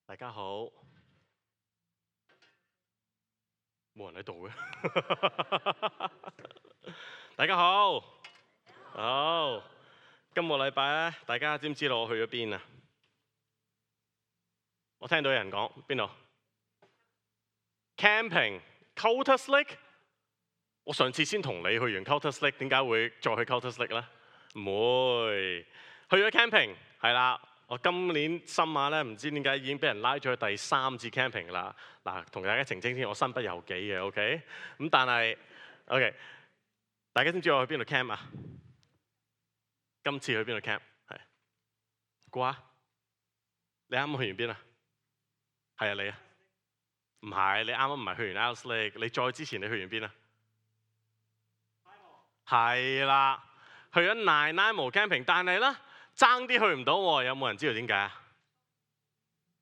大家好，冇人喺度嘅。大家好，好，今個禮拜咧，大家知唔知道我去咗邊啊？我聽到有人講邊度 camping Cultus Lake。我上次先同你去完 Cultus Lake，點解會再去 Cultus Lake 咧？唔會，去咗 camping 係啦。我今年深馬咧，唔知點解已經俾人拉咗去第3次 camping 啦。嗱，同大家澄清先，我身不由己嘅，OK。咁但係 OK，大家知唔知我去邊度 camp 啊？今次去邊度 camp？ 係估下，你啱啱去完邊啊？係啊，你啊？唔係，你啱啱唔係去完 Alice Lake， 你再之前你去完邊啊？係啦，去咗Nanaimo camping， 但係咧爭啲去唔到喎，有冇人知道點解啊？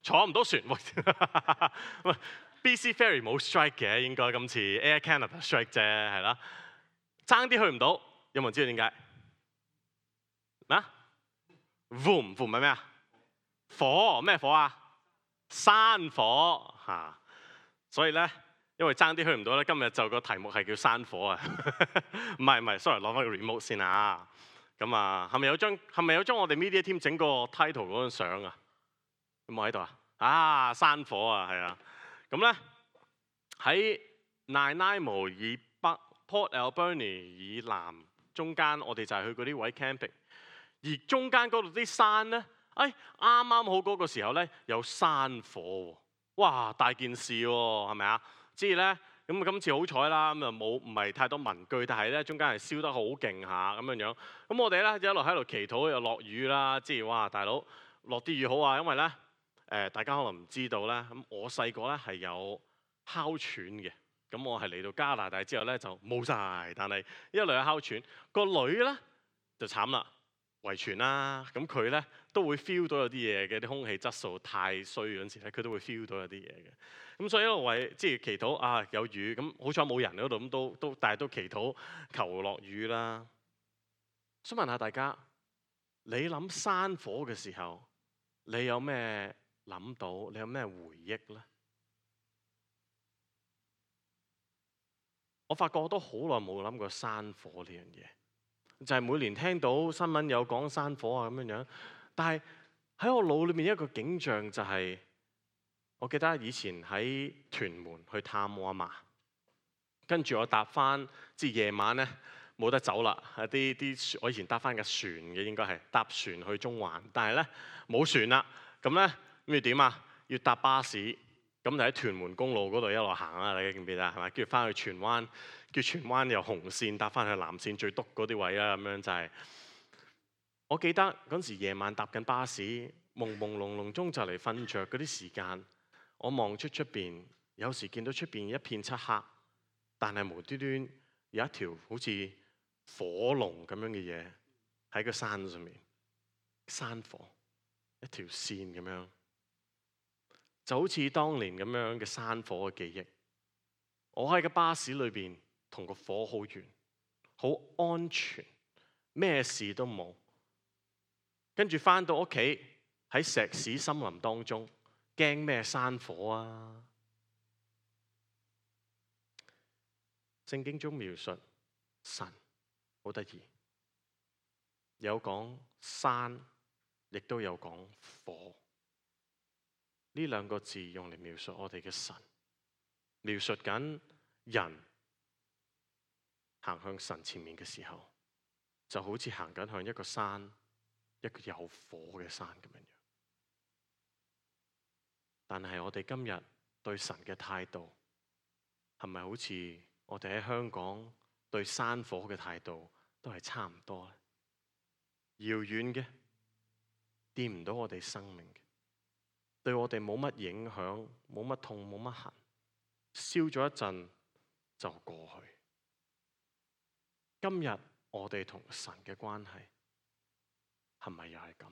坐唔到船喂，BC Ferry 冇 strike 嘅，應該今次 Air Canada strike 啫，係啦，爭啲去唔到，有冇人知道點解？咩？Boom 係咩啊？火咩火啊？山火嚇，所以咧，因為爭啲去唔到咧，今日就個題目係叫山火啊！唔係，sorry，攞翻個 remote 先啊！咁啊，係咪有張我哋 media team 整個 title 嗰張相啊？有冇喺度啊？啊，山火啊，係啊！咁咧喺 Nanaimo 以北、Port Alberni 以南，中間我哋就係去嗰啲位 camping， 而中間嗰度啲山咧，啱啱好嗰個時候咧有山火喎，哇，大件事喎，係咪啊？之後咧，咁今次好彩啦，咁啊唔係太多文具，但係咧中間係燒得好勁下咁樣樣。咁我哋咧一路喺度祈禱，又落雨啦，之後哇，大佬落啲雨好啊，因為咧大家可能唔知道咧，咁我細個咧係有哮喘嘅，咁我係嚟到加拿大之後咧就冇晒，但係一路有哮喘，個女咧就慘啦。遺傳啦，咁佢咧都會 feel 到有啲嘢嘅，啲空氣質素太衰嗰陣時咧，佢都會 feel 到有啲嘢嘅。咁所以一路為即係祈禱啊，有雨，咁好彩冇人嗰度，咁但係都祈禱求落雨啦。想問下大家，你諗山火嘅時候，你有咩諗到？你有咩回憶咧？我發覺我都好耐冇諗過山火呢樣嘢。就係每年聽到新聞有講山火啊咁樣樣，但係喺我腦裏面一個景象就係，我記得以前喺屯門去探我阿嫲，跟住我搭翻，即係夜晚咧冇得走啦，啲我以前搭翻架船嘅，應該係搭船去中環，但係咧冇船啦，咁咧咁要點啊？要搭巴士，咁就喺屯門公路嗰度一路行啦，大家記唔記得係咪？跟住翻去荃灣。叫荃灣由紅線搭翻去藍線最篤嗰啲位啦，咁樣就係。我記得嗰陣時夜晚搭緊巴士，朦朦朧朧中就嚟瞓着嗰啲時間，我望出邊，有時見到出邊一片漆黑，但係無端端有一條好似火龍咁樣嘅嘢喺個山上面，山火一條線咁樣，就好似當年咁樣嘅山火嘅記憶。我喺個巴士裏邊。同個火好遠，好安全，咩事都冇。跟住返到屋企喺石屎森林當中，驚咩山火啊？聖經中描述神好得意，有講山，亦都有講火。呢兩個字用嚟描述我哋嘅神，描述緊人。行向神前面嘅時候，就好似行緊向一個山，一個有火嘅山咁樣。但係我哋今日對神嘅態度，係咪好似我哋喺香港對山火嘅態度都係差唔多咧？遙遠嘅，掂唔到我哋生命嘅，對我哋冇乜影響，冇乜痛，冇乜痕，燒咗一陣就過去。今日我哋同神嘅關係係咪又係咁？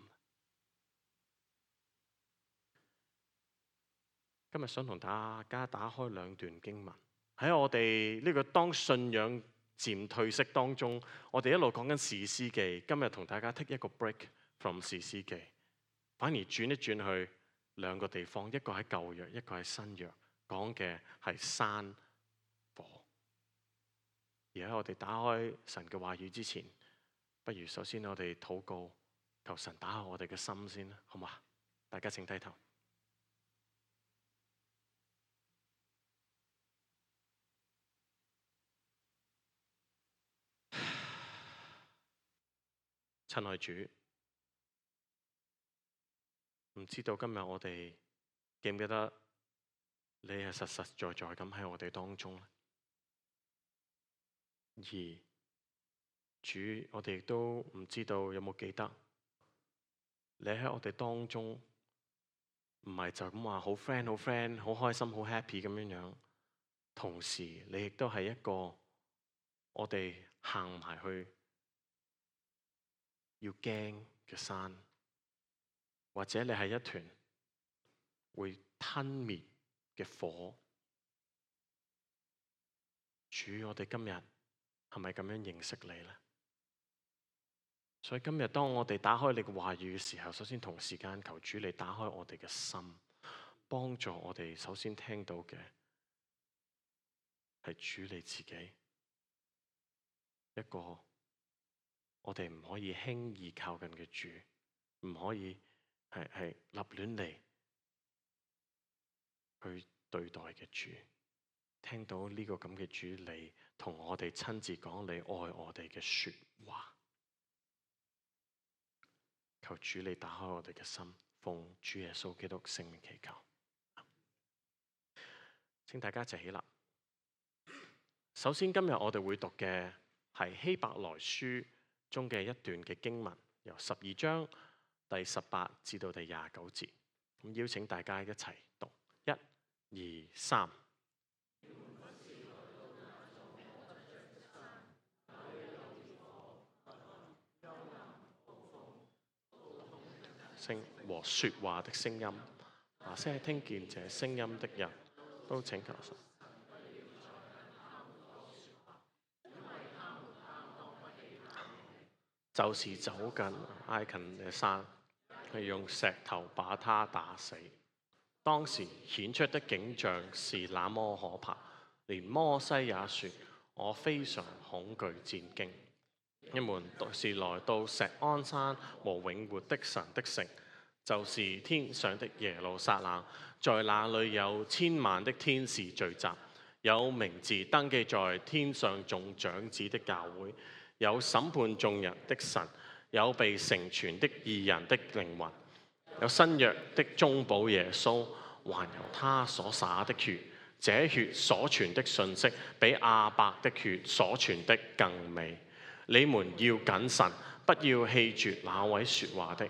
今日想同大家打開兩段經文，喺我哋呢個當信仰漸退色當中，我哋一路講緊士師記，今日同大家 take 一個 break from 士師記，反而轉一轉去兩個地方，一個喺舊約，一個喺新約，講嘅係山火。而喺我哋打開神嘅話語之前，不如首先我哋禱告，求神打開我哋嘅心先啦，好嘛？大家請低頭。親愛主，唔知道今日我哋記唔記得你係實實在在咁喺我哋當中呢？而主，我哋亦都唔知道有冇記得你喺我哋當中，唔係就咁話好 friend、好開心、好 happy 咁樣樣。同時，你亦都係一個我哋行埋去要驚嘅山，或者你係一團會吞滅嘅火。主，我哋今日係咪咁樣認識你呢？所以今日當我哋打開你嘅話語嘅時候，首先同時間求主你打開我哋嘅心，幫助我哋首先聽到嘅係主你自己，一個我哋唔可以輕易靠近嘅主，唔可以係立亂嚟去對待嘅主。聽到呢個咁嘅主，你同我哋親自講你愛我哋嘅說話，求主你打開我哋嘅心，奉主耶穌基督聖名祈求。請大家一齊起立。首先今日我哋會讀嘅係希伯來書中嘅一段嘅經文，由12章第18至到第29節。咁邀請大家一齊讀，1、2、3。聲和說話的聲音，那些聽見這聲音的人都請求神。就是走近挨近嘅山，係用石頭把他打死。當時顯出的景象是那麼可怕，連摩西也說：我非常恐懼戰驚。你們是來到錫安山和永活的神的城，就是天上的耶路撒冷，在那裏有千萬的天使聚集，有名字登記在天上眾長子的教會，有審判眾人的神，有被成全的義人的靈魂，有新約的中保耶穌，還有他所灑的血。這血所傳的信息，比亞伯的血所傳的更美。你們要謹慎，不要棄絕那位說話的，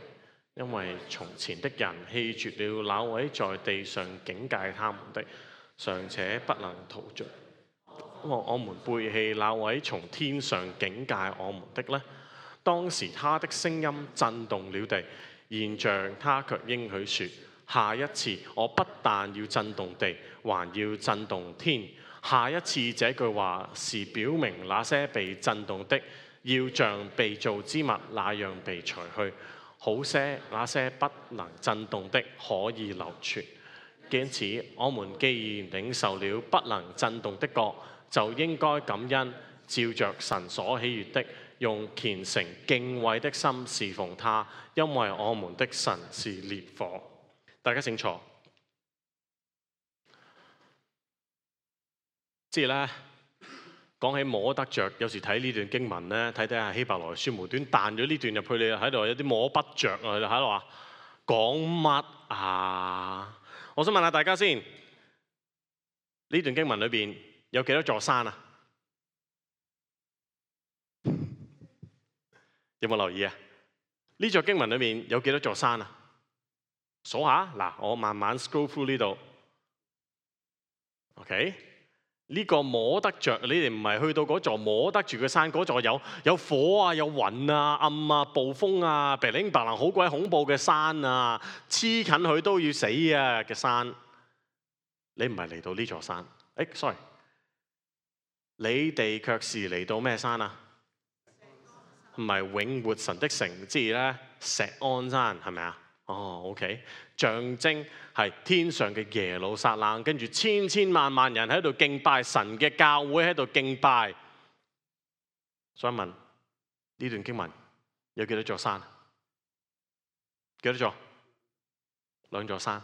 因為從前的人棄絕了那位在地上警戒他們的，尚且不能逃脫。我們背棄那位從天上警戒我們的呢？當時他的聲音震動了地，現像他卻應許說：下一次我不但要震動地，還要震動天。下一次這句話是表明那些被震動的，要像被造之物那樣被除去，好些那些不能震動的可以流傳。因此，我們既然領受了不能震動的國，就應該感恩，照着神所喜悅的，用虔誠敬畏的心侍奉他，因為我們的神是烈火。大家請坐。即係咧，講起摸得着，有時睇呢段經文咧，睇下希伯來書無端彈咗呢段入去，你喺度有啲摸不着啊！喺度話講乜啊？我想問下大家先，呢段經文裏邊有幾多座山啊？有冇留意啊？呢座經文裏面有幾多座山啊？數下嗱，我慢慢 scroll through 呢度。OK， 呢個摸得着，你哋唔係去到嗰座摸得住嘅山，嗰座有火啊、有雲啊、暗啊、暴風啊、白靈白蘭好鬼恐怖嘅山啊，黐近佢都要死啊嘅山。你唔係嚟到呢座山，sorry， 你哋卻是嚟到咩山啊？唔係永活神的城，即係咧錫安山，係咪啊？ OK， 象徵係天上嘅耶路撒冷，跟住千千萬萬人喺度敬拜神嘅教會喺度敬拜。所以問呢段經文有幾多座山？幾多座？2座山。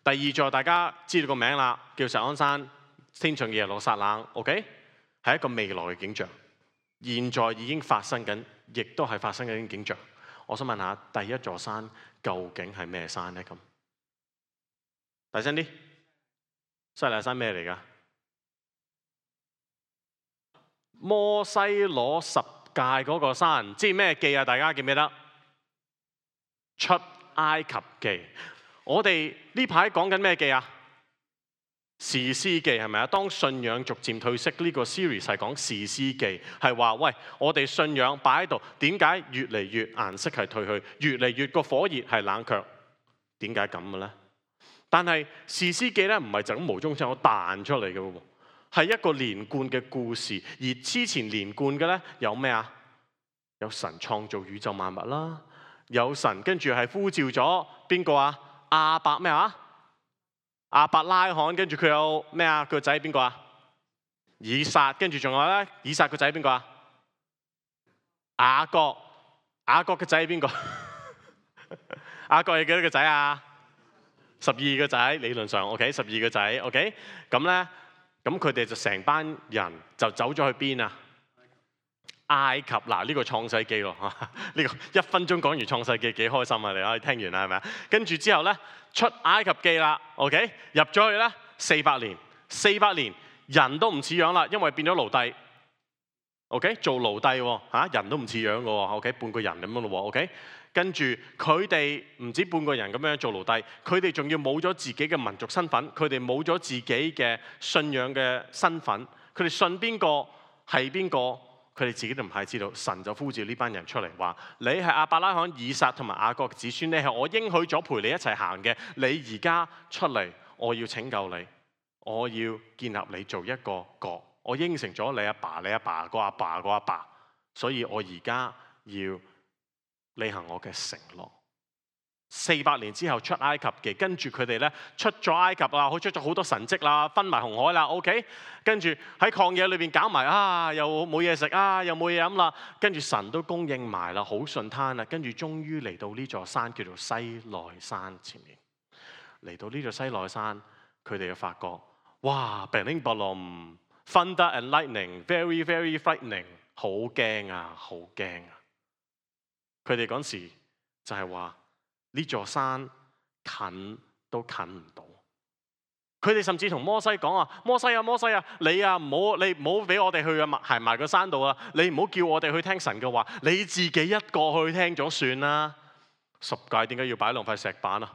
第2座大家知道個名啦，叫錫安山，天上嘅耶路撒冷。OK， 係一個未來嘅景象，現在已經發生緊，亦都係發生緊嘅景象。我想問下，第1座山究竟係咩山呢？咁大聲啲，西奈山咩嚟㗎？摩西攞10誡嗰個山，知咩記啊？大家記唔記得？出埃及記。我哋呢排講緊咩記啊？士師記係咪啊？當信仰逐漸退色，呢個 series 係講士師記，係話喂，我哋信仰擺喺度，點解越嚟越顏色係退去，越嚟越個火熱係冷卻？點解咁嘅咧？但係士師記咧唔係就咁無中生有彈出嚟嘅喎，係一個連貫嘅故事。而之前連貫嘅咧有咩啊？有神創造宇宙萬物啦，有神跟住係呼召咗邊個啊？亞伯咩啊？亞伯拉罕，跟住佢有咩啊？佢個仔邊個啊？以撒，跟住仲有咧，以撒個仔邊個啊？雅各，雅各嘅仔係邊個？雅各係幾多個仔啊？12個仔，理論上 OK， 12個仔 OK， 咁咧，咁佢哋就成班人就走咗去邊啊？埃及。嗱，呢個創世記咯，呢個1分鐘講完創世記幾開心啊！你可以聽完啦，係咪啊？跟住之後咧，出埃及記啦 ，OK， 入咗去咧400年，400年人都唔似樣啦，因為變咗奴隸 ，OK， 做奴隸喎，人都唔似樣嘅喎 ，OK， 半個人咁樣咯喎 ，OK， 跟住佢哋唔止半個人咁樣做奴隸，佢哋仲要冇咗自己嘅民族身份，佢哋冇咗自己嘅信仰嘅身份，佢哋信邊個係邊個？佢哋自己都唔係知道，神就呼召呢班人出嚟話：你係亞伯拉罕、以撒同埋雅各嘅子孫，你係我應許咗陪你一齊行嘅。你而家出嚟，我要拯救你，我要建立你做一個國。我應承咗你阿爸、你阿爸個阿爸個阿爸，所以我而家要履行我嘅承諾。400年之後出埃及記，跟住佢哋咧出咗埃及啦，出咗好多神蹟啦，分埋紅海啦 ，OK， 跟住喺曠野裏邊搞埋又冇嘢食又冇嘢飲啦，跟住神都供應埋啦，好順攤啦，跟住終於嚟到呢座山叫做西奈山前面，嚟到呢座西奈山，佢哋就發覺哇 bling bling thunder and lightning very very frightening， 好驚啊，好驚啊！佢哋嗰時就係話。呢座山近都近唔到，佢哋甚至同摩西講啊，摩西啊，摩西啊，你唔好俾我哋去行埋個山度啊，你唔好叫我哋去聽神嘅話，你自己一個去聽咗算啦。10誡點解要擺2塊石板啊？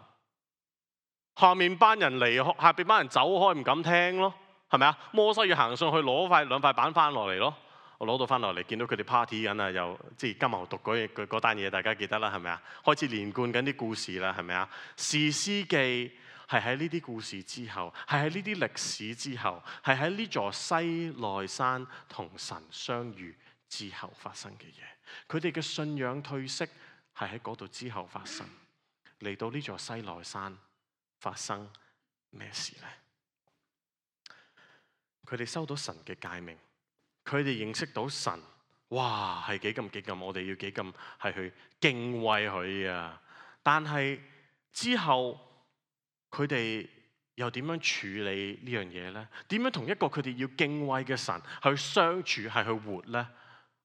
下面班人嚟，下邊班人走開唔敢聽咯，係咪啊？摩西要行上去攞2塊板翻落嚟咯。我攞到翻落嚟，見到佢哋 party 緊啊，又即係金牛犢嗰單嘢，大家記得啦，係咪啊？開始連貫緊啲故事啦，係咪啊？士師記係喺呢啲故事之後，係喺呢啲歷史之後，係喺呢座西奈山同神相遇之後發生嘅嘢。佢哋嘅信仰退色係喺嗰度之後發生。嚟到呢座西奈山發生咩事呢？佢哋收到神嘅誡命。佢哋認識到神，哇係幾咁，我哋要幾咁係去敬畏佢啊！但係之後佢哋又點樣處理呢樣嘢呢？點樣同一個佢哋要敬畏嘅神去相處，係去活呢？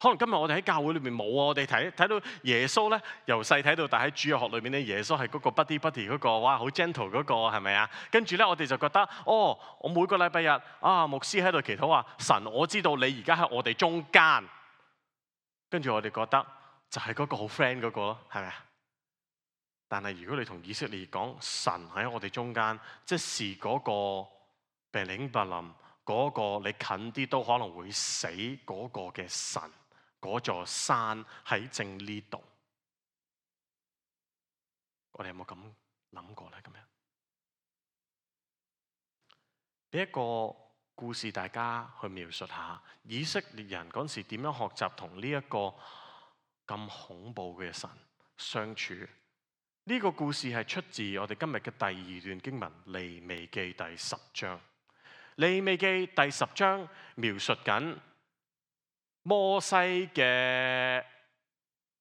可能今日我哋喺教會裏面冇啊！我哋睇到耶穌咧，由細睇到大喺主日學裏面咧，耶穌係嗰個 buddy 嗰個，哇好 gentle 嗰個係咪啊？跟住咧我哋就覺得，我每個禮拜日牧師喺度祈禱話，神我知道你而家喺我哋中間，跟住我哋覺得就係嗰個好 friend 嗰個咯，係咪啊？但係如果你同以色列講神喺我哋中間，即是嗰個病領白林嗰個你近啲都可能會死嗰個嘅神。嗰座山喺正呢度，我哋有冇咁諗過咧？咁樣俾一個故事，大家去描述下以色列人嗰時點樣學習同呢一個咁恐怖嘅神相處。呢呢個故事係出自我哋今日嘅第二段經文《利未記》第10章。《利未記》第10章描述緊摩西嘅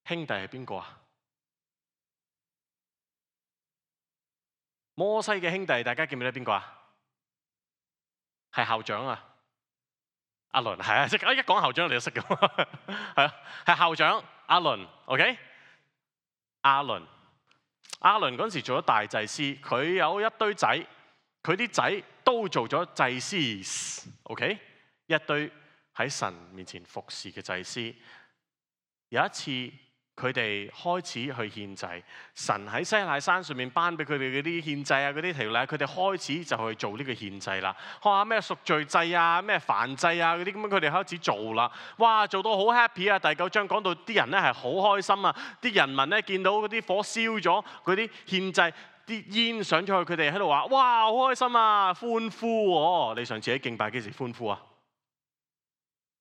兄弟係邊個啊？摩西嘅兄弟，大家記唔記得邊個啊？係校長啊，阿倫，係啊，即係一講校長你就識㗎，係啊，係校長阿倫 ，OK？ 阿倫嗰陣時做咗大祭司，佢有一堆仔，佢啲仔都做咗祭司 ，OK？ 一堆喺神面前服侍嘅祭司。有一次佢哋開始去獻祭，神喺西奈山上面頒俾佢哋嗰啲獻祭啊，嗰啲條例，佢哋開始就去做呢個獻祭啦。哇！咩贖罪祭啊，咩燔祭啊嗰啲咁樣，佢哋開始做啦。哇！做到好 happy 啊！第9章講到啲人咧係好開心啊，啲人民咧見到嗰啲火燒咗，嗰啲獻祭啲煙上咗去，佢哋喺度話：哇！好開心啊，歡呼喎！你上次喺敬拜幾時歡呼啊？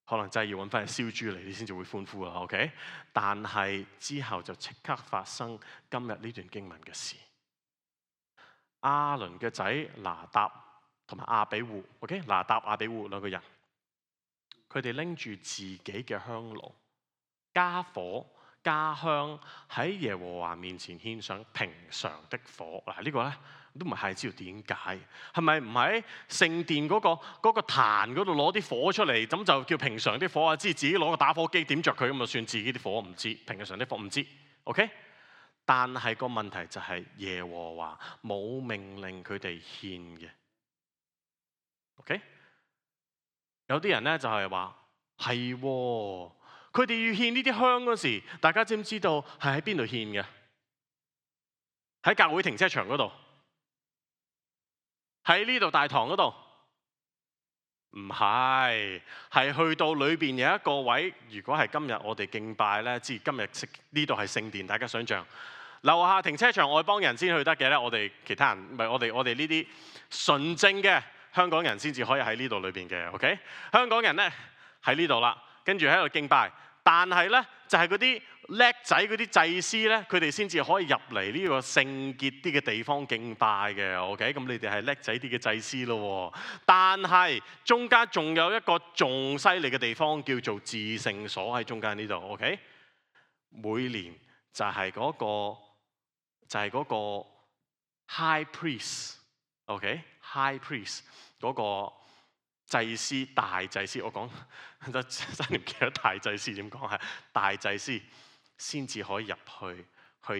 可能真係要揾翻隻燒豬嚟，你先至會歡呼啦 ，OK？ 但係之後就即刻發生今日呢段經文嘅事。亞倫嘅仔拿答同埋亞比戶 ，OK？ 拿答、亞比戶兩個人，佢哋拎住自己嘅香爐，加火加香喺耶和華面前獻上平常的火。嗱，呢個咧都唔係太知道點解，係咪唔喺聖殿嗰個壇嗰度攞啲火出嚟，咁就叫平常啲火啊？知自己攞個打火機點着佢咁就算自己啲火，唔知平常啲火唔知 ，OK？ 但係個問題就係耶和華冇命令佢哋獻嘅 ，OK？ 有啲人咧就係話係喎。佢哋要獻呢啲香嗰時，大家知唔知道係喺邊度獻嘅？喺教會停車場嗰度，喺呢度大堂嗰度，唔係，係去到裏邊有一個位。如果係今日我哋敬拜咧，知今日呢度係聖殿，大家想象樓下停車場外邦人先去得嘅咧，我哋其他人唔係我哋呢啲純正嘅香港人先至可以喺呢度裏邊嘅。OK， 香港人咧喺呢度啦。跟住喺度敬拜，但係咧就係嗰啲叻仔嗰啲祭司咧，佢哋先至可以入嚟呢個聖潔啲嘅地方敬拜嘅。OK， 咁你哋係叻仔啲嘅祭司咯。但係中間仲有一個仲犀利嘅地方叫做至聖所喺中間呢度。OK， 每年就係嗰個 high priest。OK，high priest 嗰個祭司大祭司，我講真係唔記得大祭司點講，係大祭司先至可以入去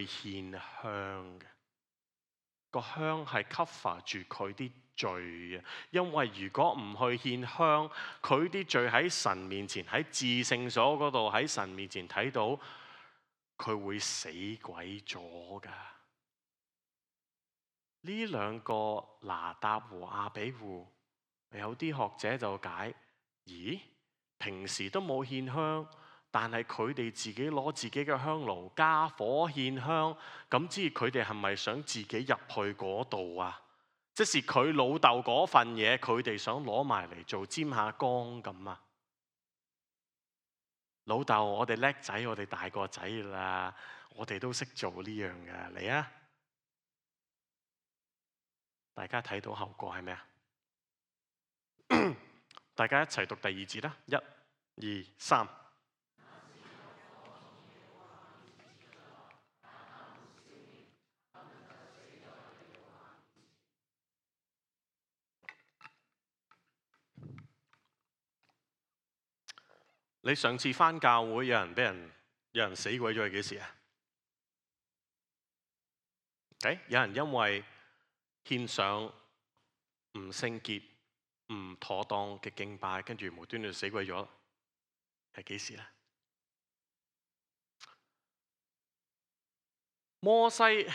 獻香嘅。個香係 cover 住佢啲罪嘅，因為如果唔去獻香，佢啲罪喺神面前喺至聖所嗰度喺神面前睇到，佢會死鬼咗㗎。呢兩個拿答和亞比戶。有啲學者就解，咦？平時都冇獻香，但係佢哋自己攞自己嘅香爐加火獻香，咁知佢哋係咪想自己入去嗰度啊？即是佢老豆嗰份嘢，佢哋想攞埋嚟做沾下光咁啊？老豆，我哋叻仔，我哋大個仔啦，我哋都識做呢樣嘅，嚟啊！大家睇到後果係咩啊？大家一齊讀第2節啦，1、2、3。你上次返教會有人死鬼咗係幾時啊？有人因為獻上唔聖潔、唔妥當嘅敬拜，跟住無端端死鬼咗，係幾時咧？摩西，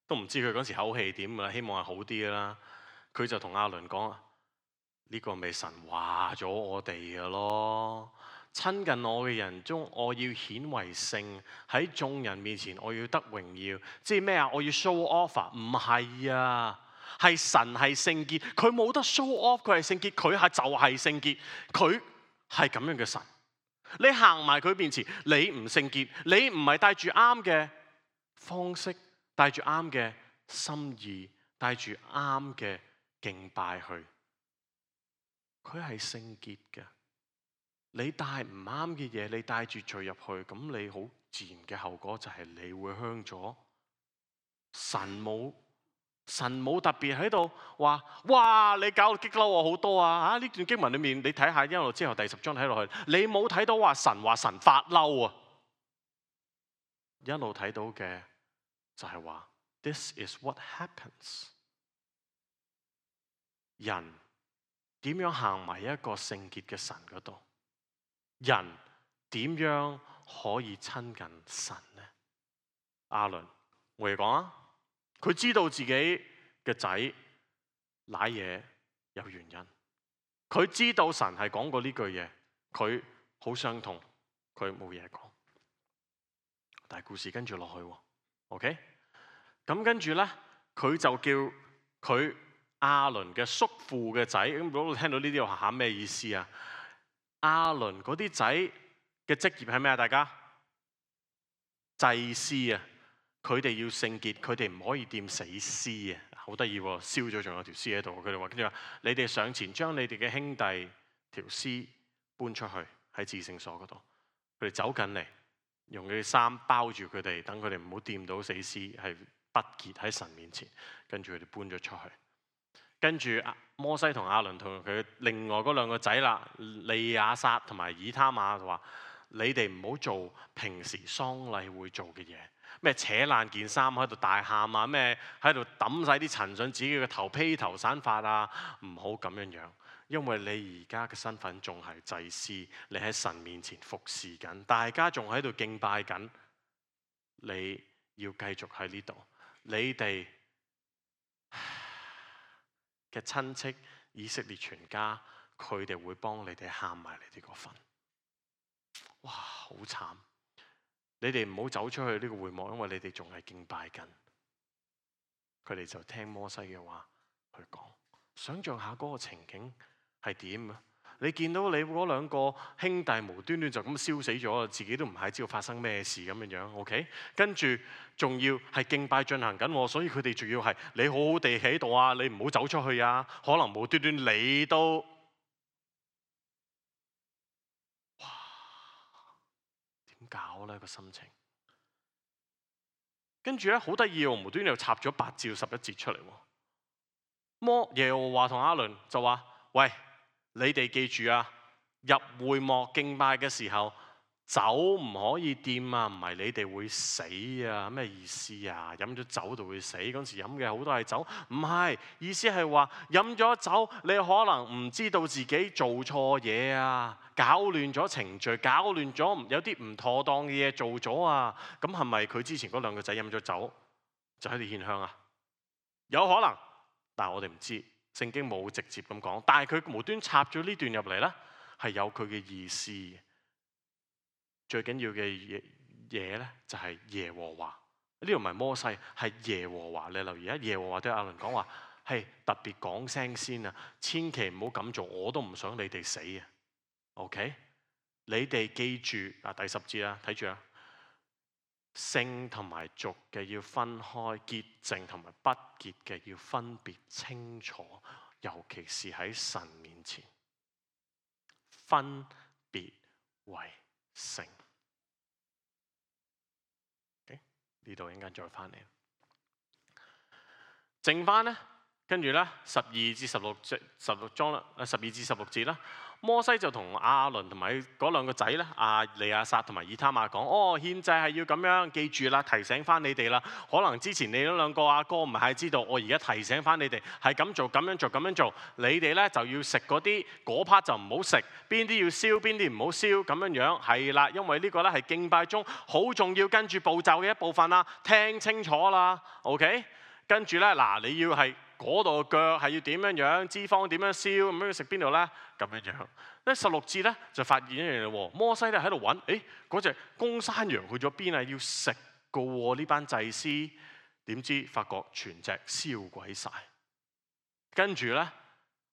都唔知佢嗰時口氣點㗎啦，希望係好啲㗎啦。佢就同亞倫講：呢個咪神話咗我哋㗎咯，親近我嘅人中，我要顯為聖，喺眾人面前我要得榮耀。即係咩啊？我要 show off 啊？唔係啊！係神係聖潔，佢冇得 show off，佢係聖潔，佢係就係聖潔，佢係咁樣嘅神。你行埋佢面前，你唔聖潔，你唔係帶住啱嘅方式，帶住啱嘅心意，帶住啱嘅敬拜去，佢係聖潔嘅。你帶唔啱嘅嘢，你帶住罪入去，咁你好自然嘅後果就係你會香咗。神冇特別喺度話，哇！你搞到激嬲我好多啊！呢段經文裏面你睇下一路之後第10章睇落去，你冇睇到話神發嬲啊！一路睇到嘅就係話 ，This is what happens。人點樣行埋一個聖潔嘅神嗰度？人點樣可以親近神呢？亞倫，我哋講啊，佢知道自己嘅仔瀨嘢有原因，佢知道神係講過呢句嘢，佢好傷痛，佢冇嘢講。但係故事跟住落去，OK？ 咁跟住咧，佢就叫佢亞倫嘅叔父嘅仔。咁如果聽到呢啲話，咩意思啊？亞倫嗰啲仔嘅職業係咩啊？大家祭司啊，佢哋要聖潔，佢哋唔可以掂死屍啊！好得意喎，燒咗仲有條屍喺度。佢哋話跟住話：你哋上前將你哋嘅兄弟條屍搬出去喺至聖所嗰度。佢哋走緊嚟，用佢哋衫包住佢哋，等佢哋唔好掂到死屍，係不潔喺神面前。跟住佢哋搬咗出去。跟住摩西同亞倫同佢另外嗰兩個仔啦，利亞撒同埋以他瑪就話：你哋唔好做平時喪禮會做嘅嘢，咩扯爛件衫喺度大喊啊，咩喺度抌晒啲塵上自己嘅頭，披頭散髮啊，唔好咁樣樣，因為你而家嘅身份仲係祭司，你喺神面前服侍緊，大家仲喺度敬拜緊，你要繼續喺呢度，你哋嘅親戚以色列全家，佢哋會幫你哋喊埋你哋個份。哇，好慘！你哋唔好走出去呢個會幕，因為你哋仲係敬拜緊。佢哋就聽摩西嘅話去講。想像下嗰個情景係點啊？你見到你嗰兩個兄弟無端端就咁燒死咗，自己都唔係知道發生咩事咁樣樣。OK， 跟住仲要係敬拜進行緊，所以佢哋仲要係你好好地喺度啊，你唔好走出去啊。可能無端端你都哇點搞呢個心情？跟住咧好得意喎，無端端又插咗8至11節出嚟喎。耶和華同亞倫就話：喂！你哋記住啊，入會幕敬拜嘅時候，酒唔可以掂啊，唔係你哋會死啊？咩意思啊？飲咗酒就會死？嗰時飲嘅好多係酒，唔係，意思係話飲咗酒，你可能唔知道自己做錯嘢啊，搞亂咗程序，搞亂咗有啲唔妥當嘅嘢做咗啊。咁係咪佢之前嗰兩個仔飲咗酒就喺度獻香啊？有可能，但係我哋唔知。聖經冇直接咁講，但係佢無端插咗呢段入嚟咧，係有佢嘅意思。最緊要嘅嘢咧，就係耶和華。呢度唔係摩西，係耶和華。你留意啊，耶和華對亞倫講話，係特別講聲先啊，千祈唔好咁做，我都唔想你哋死啊。OK， 你哋記住第10節啊，睇住啊。聖同埋俗嘅要分開，潔淨同埋不潔嘅要分別清楚，尤其是喺神面前分別為聖。呢度一陣間再翻嚟，剩翻呢，跟住呢12至16章啦，12至16節啦。摩西就同亞倫同埋嗰兩個仔咧，利亞撒同埋以他瑪講：獻祭係要咁樣，記住啦，提醒翻你哋啦。可能之前你嗰兩個阿哥唔係知道，我而家提醒翻你哋，係咁做、咁樣做、咁樣做。你哋咧就要食嗰啲，嗰 part 就唔好食。邊啲要燒，邊啲唔好燒，咁樣樣係啦。因為呢個咧係敬拜中好重要，跟住步驟嘅一部分啦。聽清楚啦 ，OK？ 跟住咧嗱，你要係。嗰度嘅腳係要點樣樣，脂肪點樣燒，咁樣食邊度咧？咁樣樣。咧16節咧就發現一樣嘢喎，摩西咧喺度揾，嗰隻公山羊去咗邊啊？要食嘅喎，呢班祭司點知發覺全隻燒鬼晒。跟住咧，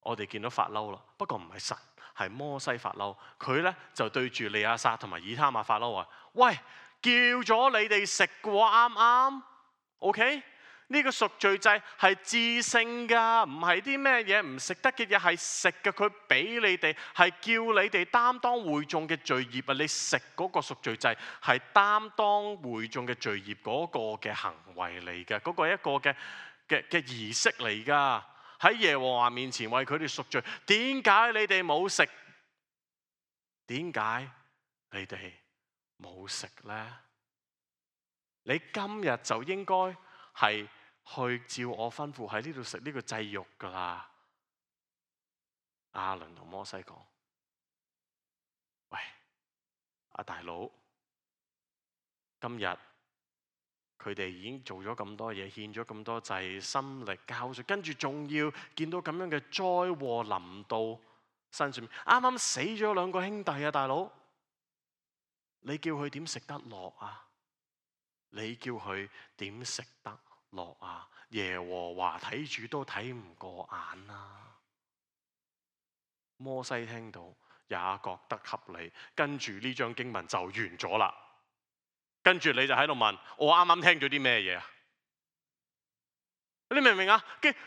我哋見到發嬲啦，不過唔係神，係摩西發嬲。佢咧就對住利亞撒同埋以他瑪發嬲話：喂，叫咗你哋食嘅喎，啱唔啱 ？OK？呢個贖罪祭係至聖㗎，唔係啲咩嘢唔食得嘅嘢，係食嘅。佢俾你哋係叫你哋擔當會眾嘅罪孽啊！你食嗰個贖罪祭係擔當會眾嘅罪孽嗰個嘅行為嚟嘅，嗰個係一個嘅儀式嚟㗎。喺耶和華面前為佢哋贖罪。點解你哋冇食？點解你哋冇食呢？你今日就應該係去照我吩咐喺呢度食呢個祭肉㗎啦。亞倫同摩西講：喂，阿大佬，今日佢哋已經做咗咁多嘢，獻咗咁多祭，心力交瘁，跟住仲要見到咁樣嘅災禍臨到身上面，啱啱死咗兩個兄弟啊，大佬，你叫佢點食得落啊？你叫佢點食得落啊？耶和華睇住都睇唔過眼啊！摩西聽到也覺得合理，跟住呢章經文就完咗啦。跟住你就喺度問我啱啱聽咗啲咩嘢啊？你明唔明啊？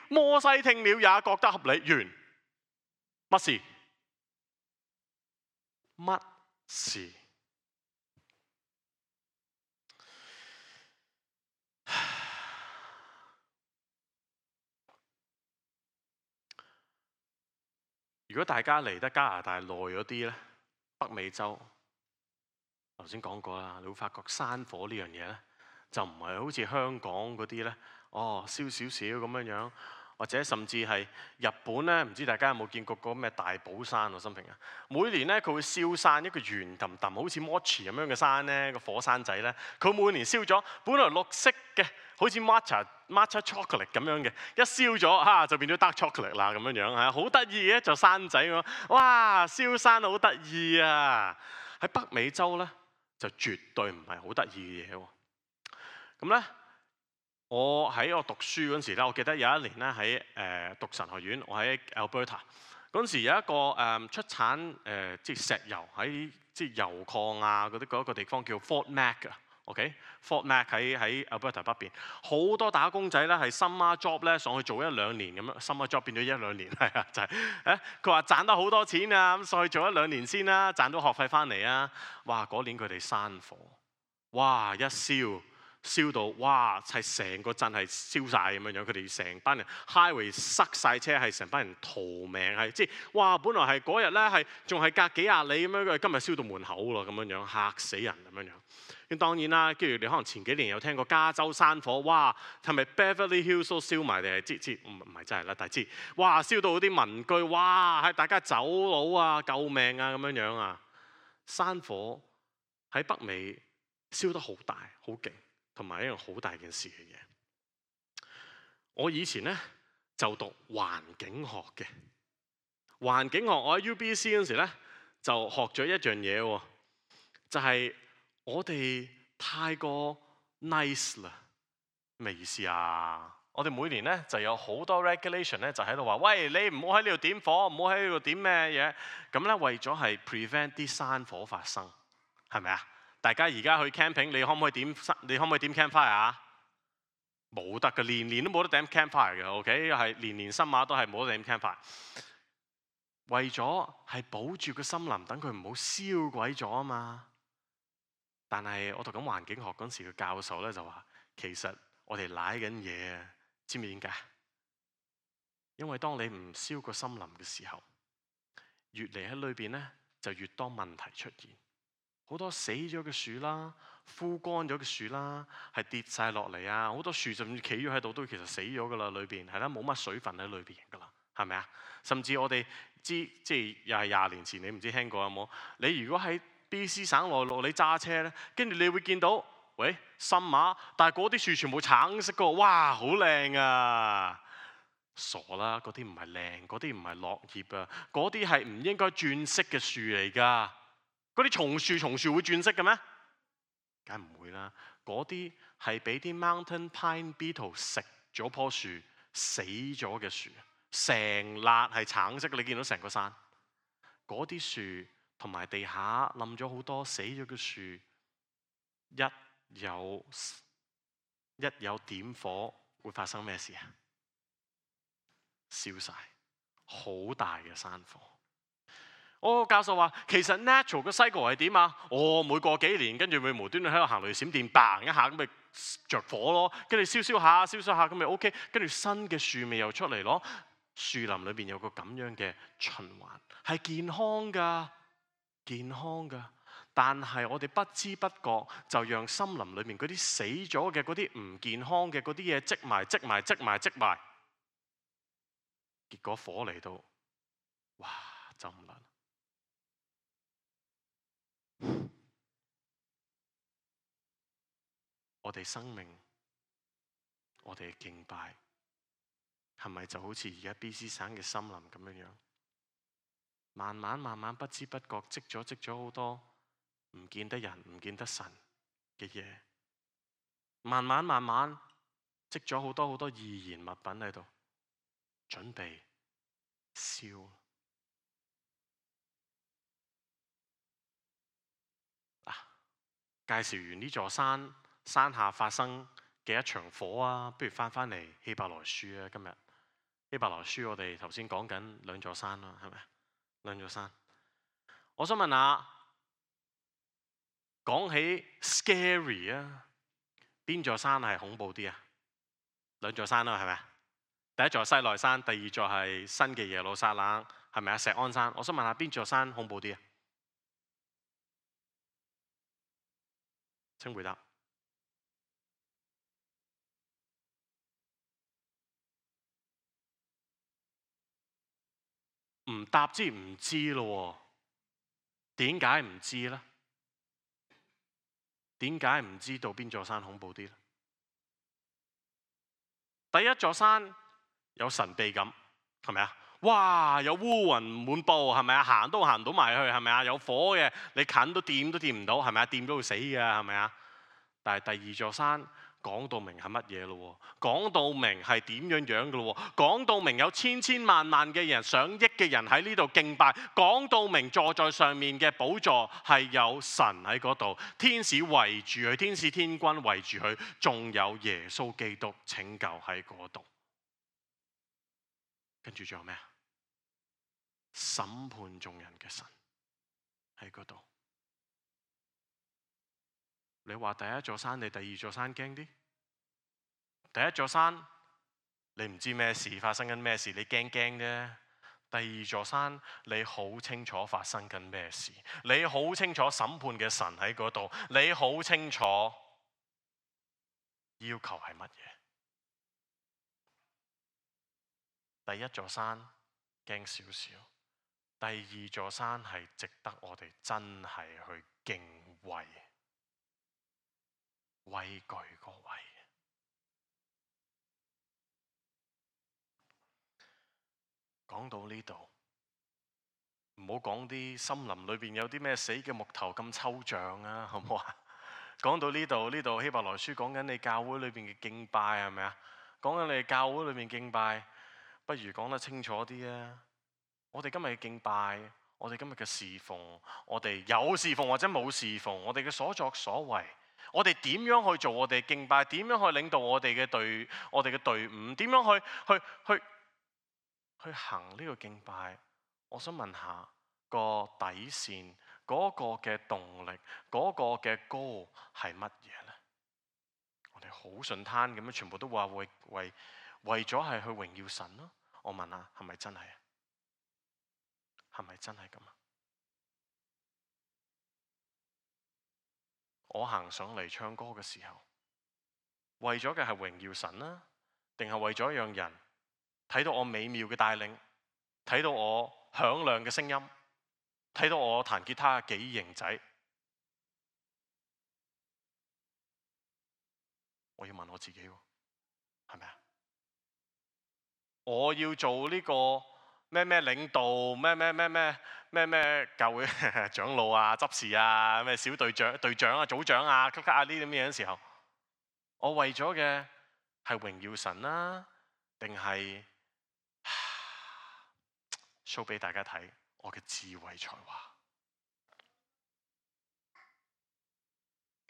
摩西聽了也覺得合理，完。乜事？乜事？如果大家嚟得加拿大耐咗啲咧，北美洲頭先講過啦，你會發覺山火呢樣嘢咧，就唔係好似香港嗰啲咧，燒少少咁樣樣，或者甚至係日本咧，唔知大家有冇見過嗰個咩大寶山啊？心平啊，每年咧佢會燒山一個圓揼揼，好似 mochi 咁樣嘅山咧，個火山仔咧，佢每年燒咗，本來綠色嘅，好似 matcha chocolate 咁樣嘅，一燒咗就變咗 dark chocolate 啦咁樣樣嚇，好得意嘅就山仔咁，哇！燒山好得意啊！喺北美洲咧就絕對唔係好得意嘅嘢喎。咁咧，我喺我讀書嗰陣時咧，我記得有一年咧喺讀神學院，我喺 Alberta 嗰陣時有一個出產即係石油喺即係油礦啊嗰啲個地方叫 Fort Mac 啊。OK，Fort Mac 喺 Alberta 北邊，好多打工仔咧係 summer job 咧上去做一兩年咁樣 ，summer job 變咗一兩年，係啊，就係佢話賺得好多錢啊，咁上去做一兩年先啦，賺到學費翻嚟啊！哇，嗰年佢哋山火，哇一燒到哇係成個鎮係燒晒咁樣樣，佢哋成班人 highway 塞晒車，係成班人逃命，係即係哇！本來係嗰日咧係仲係隔幾廿里咁樣，今日燒到門口咯咁樣樣，嚇死人咁樣樣。咁當然啦，跟住你可能前幾年有聽過加州山火，哇係咪 Beverly Hills 都燒埋定係唔係真係啦？但係哇燒到啲民居，哇係大家走佬啊、救命啊咁樣樣啊！山火喺北美燒得好大、好勁。同埋一樣好大件事嘅嘢。我以前咧就讀環境學嘅，環境學我喺 UBC 嗰時咧就學咗一樣嘢喎，就係我哋太過 nice 啦。咩意思啊？我哋每年咧就有好多 regulation 咧，就喺度話：喂，你唔好喺呢度點火，唔好喺呢度點咩嘢。咁咧為咗係 prevent 啲山火發生，係咪啊？大家而家去 camping，你可唔可以點 campfire 啊？冇得嘅，年年都冇得點 campfire 嘅。OK， 係年年新馬都係冇得點 campfire。為咗係保住個森林，等佢唔好燒鬼咗啊嘛。但係我讀緊環境學嗰陣時，個教授咧就話：其實我哋賴緊嘢啊！知唔知點解？因為當你唔燒個森林嘅時候，越嚟喺裏邊咧就越多問題出現。好多死咗嘅樹啦，枯乾咗嘅樹啦，係跌晒落嚟啊！好多樹甚至企咗喺度都其實死咗噶啦，裏邊係啦，冇乜水分喺裏邊噶啦，係咪啊？甚至我哋即係又係20年前，你唔知聽過有冇？你如果喺 BC 省內陸你揸車咧，跟住你會見到，喂，深馬，但係嗰啲樹全部橙色噶，哇，好靚啊！傻啦，嗰啲唔係靚，嗰啲唔係落葉啊，嗰啲係唔應該轉色嘅樹嚟㗎。嗰啲松樹會轉色嘅咩？梗係唔會啦。嗰啲係俾啲 mountain pine beetle 食咗棵樹死咗嘅樹，成笪係橙色嘅。你見到成個山嗰啲樹同埋地下冧咗好多死咗嘅樹，一有點火會發生咩事啊？燒晒，好大嘅山火。我個教授話，其實 natural 嘅 cycle 係點啊？每過幾年，跟住會無端端喺度行雷閃電，bang 一下咁咪着火咯，跟住燒下咁咪 OK，跟住新嘅樹苗又出嚟咯。樹林裏邊有個咁樣嘅循環，係健康㗎。但係我哋不知不覺就讓森林裏面嗰啲死咗嘅嗰啲唔健康嘅嗰啲嘢積埋，結果火嚟到，哇，就唔撚。我哋生命，我哋嘅敬拜，係咪就好似而家 BC 省嘅森林咁樣？慢慢不知不覺積咗好多唔見得人、唔見得神嘅嘢，慢慢積咗好多易燃物品喺度，準備燒。介紹完呢座山下發生嘅一場火啊，不如翻嚟希伯來書啊。今日希伯來書我哋頭先講緊兩座山啦，係咪？兩座山，我想問下，講起 scary 啊，邊座山係恐怖啲啊？兩座山啦，係咪？第一座西奈山，第二座係新嘅耶路撒冷，係咪啊？錫安山，我想問下邊座山恐怖啲啊？請回答。唔答知唔知咯？點解唔知呢？點解唔知道邊座山恐怖啲呢？第一座山有神秘感，係咪啊？哇！有烏雲滿布，係咪啊？行都行唔到埋去，係咪啊？有火嘅，你近都掂唔到，係咪啊？掂到會死嘅，係咪啊？但係第二座山講到明係乜嘢咯？講到明係點樣嘅咯？講到明有千萬嘅人、上億嘅人喺呢度敬拜。講到明坐在上面嘅寶座係有神喺嗰度，天使圍住佢，天使天軍圍住佢，仲有耶穌基督拯救喺嗰度。跟住仲有咩啊？審判眾人嘅神喺嗰度。你話第一座山定第二座山驚啲？第一座山你唔知咩事發生緊咩事，你驚啫。第二座山你好清楚發生緊咩事，你好清楚審判嘅神喺嗰度，你好清楚要求係乜嘢。第一座山驚少少，第二座山係值得我哋真係去敬畏。畏懼個畏。講到呢度，唔好講啲森林裏邊有啲咩死嘅木頭咁抽象啊，好唔好啊？講到呢度希伯來書講緊你教會裏邊嘅敬拜係咪啊？講緊你教會裏面敬拜，不如講得清楚啲啊！我哋今日嘅敬拜，我哋今日嘅侍奉，我哋有侍奉或者冇侍奉，我哋嘅所作所為。我哋點樣去做我哋敬拜？點樣去領導我哋嘅隊伍？點樣去行呢個敬拜？我想問下個底線，嗰個嘅動力，嗰個嘅goal係乜嘢呢？我哋好順攤咁樣，全部都話為咗係去榮耀神咯。我問下，係咪真係？係咪真係咁啊？我行上嚟唱歌嘅時候，為咗嘅係榮耀神啦，定係為咗讓人睇到我美妙嘅帶領，睇到我響亮嘅聲音，睇到我彈吉他幾型仔？我要問我自己喎，係咪啊？我要做呢個咩領導，咩教會長老啊、執事啊、咩小隊長啊、組長啊、級啊呢啲咁嘢嘅時候，我為咗嘅係榮耀神啦，定係show 俾大家睇我嘅智慧才華？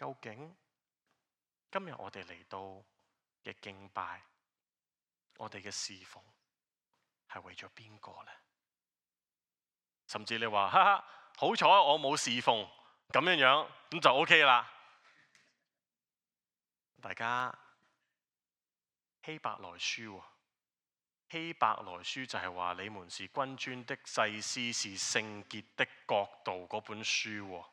究竟今日我哋嚟到嘅敬拜，我哋嘅侍奉係為咗邊個呢？甚至你話哈哈，好彩我冇侍奉咁樣，咁就 OK 啦。大家希伯來書喎，希伯來書就係話你們是君尊的祭司，是聖潔的國度嗰本書喎。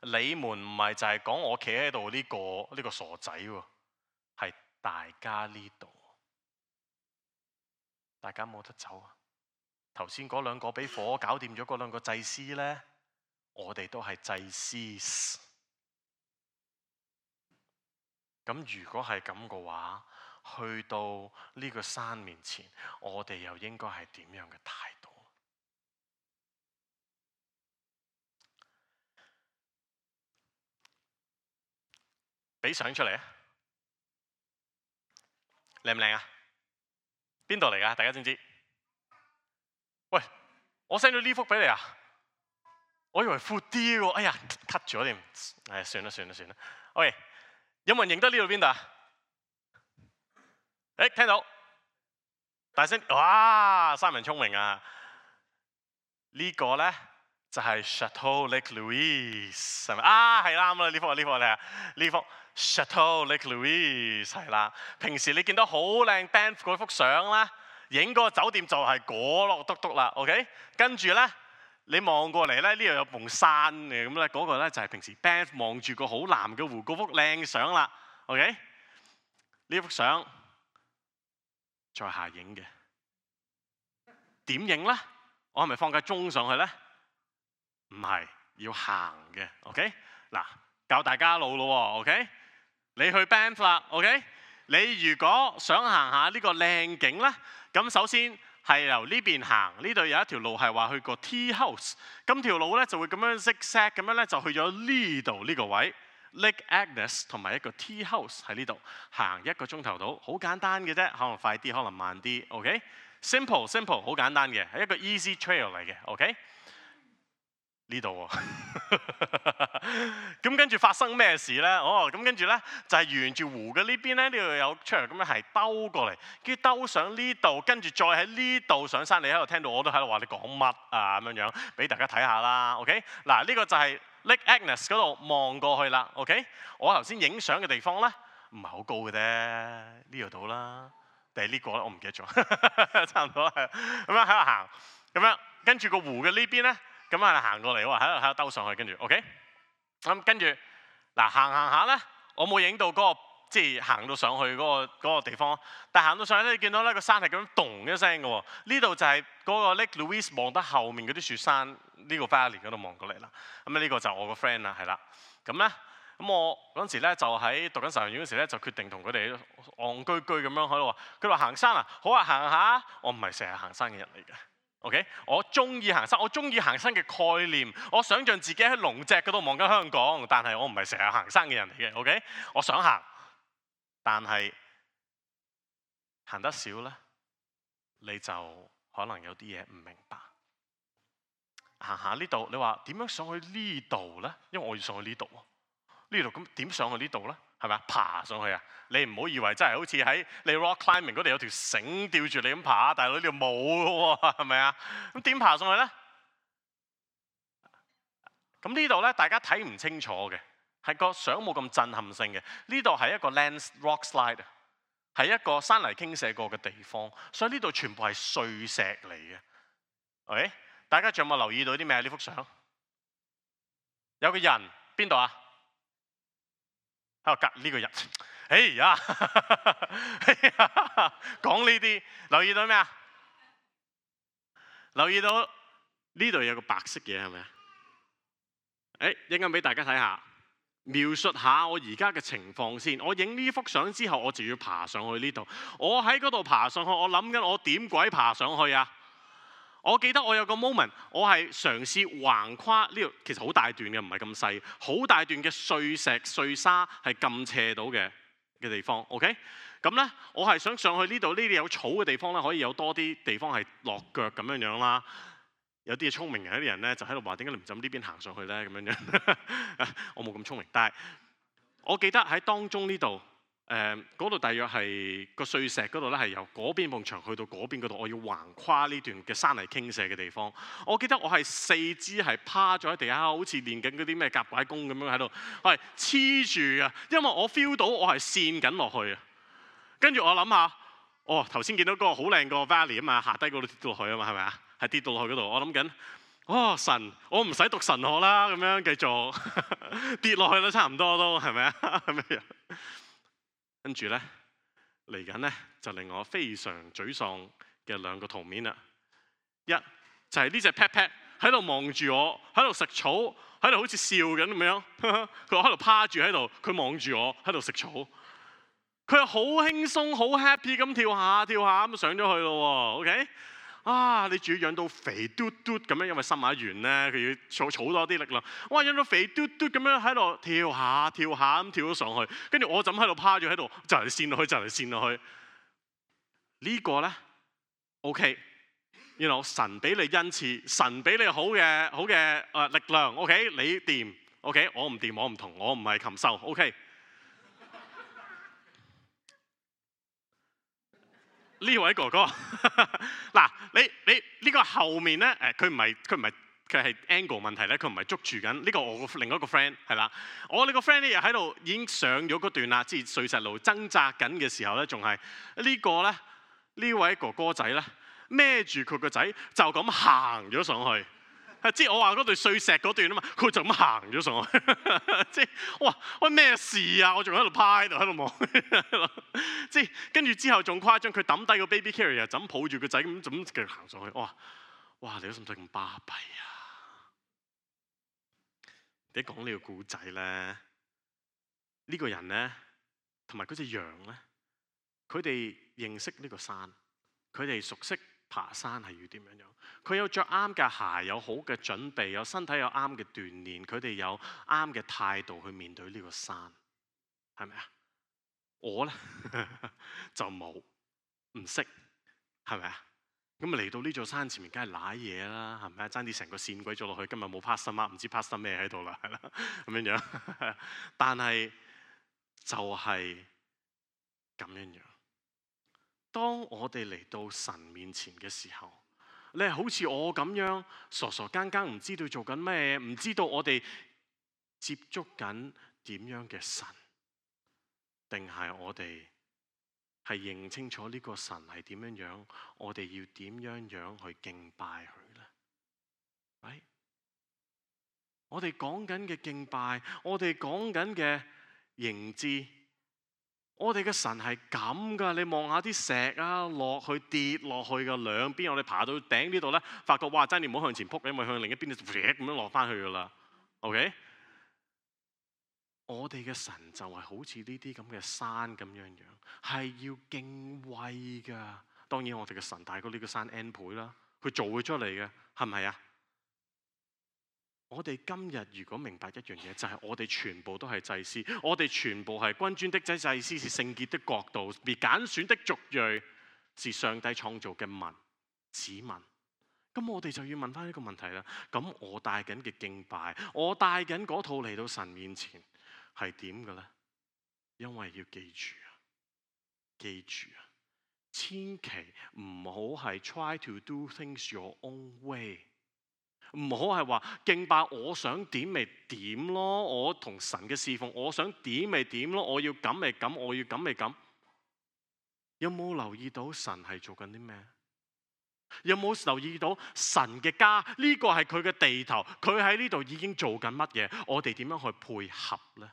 你們唔係就係講我企喺度呢個傻仔喎，係大家呢度，大家冇得走啊！頭先嗰兩個俾火搞掂咗嗰兩個祭司呢，我哋都係祭司。咁如果係咁嘅話，去到呢個山面前，我哋又應該係點樣嘅態度？俾相出嚟啊！靚唔靚啊？邊度嚟㗎？大家知唔知？喂，我 send 咗呢幅俾你啊！我以為闊啲喎，哎呀 cut 咗添，唉，算啦。OK， 有冇人認得呢度邊度啊？誒，聽到，大聲！哇，Simon聰明啊！呢個咧就係 Chateau Lake Louise， 係咪啊？係啱啦，呢幅你啊，呢幅 Chateau Lake Louise 係啦。平時你見到好靚 Banff 嗰幅相啦，影嗰個酒店就係嗰落篤篤啦。OK， 跟住咧你望過嚟咧，呢度有埲山嘅，咁咧嗰個咧就係平時 Banff 望住個好藍嘅湖嗰幅靚相啦。OK， 呢幅相在下影嘅，點影咧？我係咪放架鐘上去咧？唔係，要行嘅。OK， 嗱，教大家路咯喎。OK， 你去 Banff 啦。OK， 你如果想行下呢個靚景咧，咁首先係由呢邊行，呢度有一條路係話去個 Tea House， 咁條路咧就會咁樣 zigzag 咁樣咧就去咗呢度呢個位 Lake Agnes 同埋一個 Tea House 喺呢度，行1個鐘頭到，好簡單嘅啫，可能快啲，可能慢啲。OK，simple， 好簡單嘅，係一個 easy trail 嚟嘅。OK。呢度喎，咁跟住發生咩事咧？咁跟住咧就係沿住湖嘅呢邊咧，呢度有出嚟咁樣係兜過嚟，跟住兜上呢度，跟住再喺呢度上山。你喺度聽到我都喺度話你講乜啊咁樣，俾大家睇下啦。OK， 嗱呢個就係 Lake Agnes 嗰度望過去啦。OK， 我頭先影相嘅地方咧唔係好高嘅啫，呢度到啦，定係呢個咧？我唔記得咗，差唔多係咁樣喺度行，咁樣跟住個湖嘅呢邊咧。咁係行過嚟喎，喺度兜上去，跟住 OK， 咁跟住嗱行下咧，我冇影到嗰個即係行到上去嗰個地方，但係行到上去咧，你見到咧個山係咁樣咚一聲嘅喎，呢度就係嗰個 Lake Louise 望得後面嗰啲雪山呢個 valley 嗰度望過嚟啦。咁呢個就我個 friend 啦，係啦，咁咧咁我嗰陣時咧就喺讀緊神學院嗰時咧就決定同佢哋戇居居咁樣喺度話，佢話行山啊，好啊行下，我唔係成日行山嘅人嚟嘅。OK， 我中意行山，我中意行山嘅概念。我想象自己喺龍脊嗰度望緊香港，但係我唔係成日行山嘅人嚟嘅。OK， 我想行，但係行得少咧，你就可能有啲嘢唔明白。行下呢度，你話點樣上去呢度咧？因為我要上去呢度喎，呢度咁點上去呢度咧？係咪啊？爬上去啊！你唔好以為真係好似喺你 rock climbing 嗰度有條繩吊住你咁爬，大佬呢度冇嘅喎，係咪啊？咁點爬上去咧？咁呢度咧，大家睇唔清楚嘅，係個相冇咁震撼性嘅。呢度係一個 land rock slide， 係一個山泥傾瀉過嘅地方，所以呢度全部係碎石嚟嘅。OK， 大家仲有冇留意到啲咩？呢幅相有個人邊度啊？喺度隔呢個人，哎呀，講呢啲，留意到咩啊？留意到呢度有個白色嘢係咪啊？一陣間俾大家睇下，描述下我而家嘅情況先。我影呢幅相之後，我就要爬上去呢度。我喺嗰度爬上去，我諗緊我點鬼爬上去啊？我記得我有個 moment， 我係嘗試橫跨呢度，其實好大段嘅，唔係咁細，好大段嘅碎石碎沙係咁斜到嘅地方。OK， 咁咧我係想上去呢度，呢啲有草嘅地方咧，可以有多啲地方係落腳咁樣樣啦。有啲聰明嘅啲人咧就喺度話：點解你唔就呢邊行上去咧？咁樣樣，我冇咁聰明，但係我記得喺當中呢度，嗰度大約係個碎石嗰度咧，係由嗰邊埲牆去到嗰邊嗰度，我要橫跨呢段嘅山泥傾瀉嘅地方。我記得我係四肢係趴咗喺地下，好似練緊嗰啲咩夾拐功咁樣喺度，我係黐住啊，因為我 feel 到我係跣緊落去啊。跟住我諗下，頭先見到嗰個好靚個 valley 啊嘛，下低嗰度跌到落去啊嘛，係咪啊？係跌到落去嗰度，我諗緊，神，我唔使讀神學啦，咁樣繼續跌落去啦，差唔多都係咪啊？係咪啊？跟住咧嚟緊咧就令我非常沮喪嘅兩個圖面啦。一就係呢隻 pet pet 喺度望住我，喺度食草，喺度好似笑緊咁樣。佢喺度趴住喺度，佢望住我喺度食草。佢係好輕鬆、好 happy 咁跳下跳下咁上咗去咯喎。OK， 你仲要養到肥嘟嘟咁樣，因為生馬完咧，佢要儲多啲力量。哇，養到肥嘟嘟咁樣喺度跳下跳下咁跳咗上去，跟住我就咁喺度趴住喺度，就嚟跣落去，就嚟跣落去。呢個咧 OK， 神俾你恩賜，神俾你好嘅力量。OK， 你掂。OK， 我唔掂，我唔同，我唔係禽獸。OK。呢位哥哥，嗱，你呢個後面咧，佢係 angle 問題咧，佢唔係捉住緊呢個我另一個 friend 係啦。我呢個 friend 咧又喺度已經上咗嗰段啦，即係碎石路掙扎緊嘅時候咧，仲係呢個咧呢位哥哥仔咧孭住佢個仔就咁行咗上去。即係我話嗰段碎石嗰段啊嘛，佢就咁行咗上去，即係喂咩事啊？我仲喺度趴喺度望，即係跟住之後仲誇張，佢抌低個 baby carrier 就咁抱住個仔咁繼續行上去。哇！你都使唔使咁巴閉啊？你講呢個故仔咧，呢個人咧同埋嗰隻羊咧，佢哋認識呢個山，佢哋熟悉爬山係要點樣樣？佢有着啱嘅鞋，有好嘅準備，有身體有啱嘅鍛鍊，佢哋有啱嘅態度去面對呢個山，係咪啊？我咧就冇，唔識，係咪啊？咁嚟到呢座山前面，梗係揦嘢啦，係咪啊？爭啲成個跣鬼咗落去，今日冇 pastor mark，唔知 pastor咩喺度啦，係啦，咁樣樣。但係就係咁樣樣。當我哋嚟到神面前嘅時候，你係好似我咁樣傻傻更更，唔知道做緊咩，唔知道我哋接觸緊點樣嘅神，定係我哋係認清楚呢個神係點樣樣，我哋要點樣樣去敬拜佢呢？我哋講緊嘅敬拜，我哋講緊嘅認知。我哋嘅神係咁噶，你望下啲石啊，落去跌落去嘅兩邊，我哋爬到頂呢度咧，發覺哇，真係唔好向前撲，因為向另一邊就咁樣落翻去噶啦。OK， 我哋嘅神就係好似呢啲咁嘅山咁樣樣，係要敬畏噶。當然我哋嘅神大過呢個山 N 倍啦，佢做佢出嚟嘅，係咪啊？我哋今日如果明白一樣嘢，就係我哋全部都係祭司，我哋全部係君尊的祭司，是聖潔的國度，被揀選的族裔，是上帝創造嘅子民。咁我哋就要問翻呢個問題啦。咁我帶緊嘅敬拜，我帶緊嗰套嚟到神面前係點嘅咧？因為要記住啊，千祈唔好係 try to do things your own way。唔好係話敬拜，我想點咪點咯，我同神嘅侍奉，我想點咪點咯，我要咁咪咁，我要咁咪咁。有冇留意到神係做緊啲咩？有冇留意到神嘅家呢個係佢嘅地頭，佢喺呢度已經做緊乜嘢？我哋點樣去配合呢？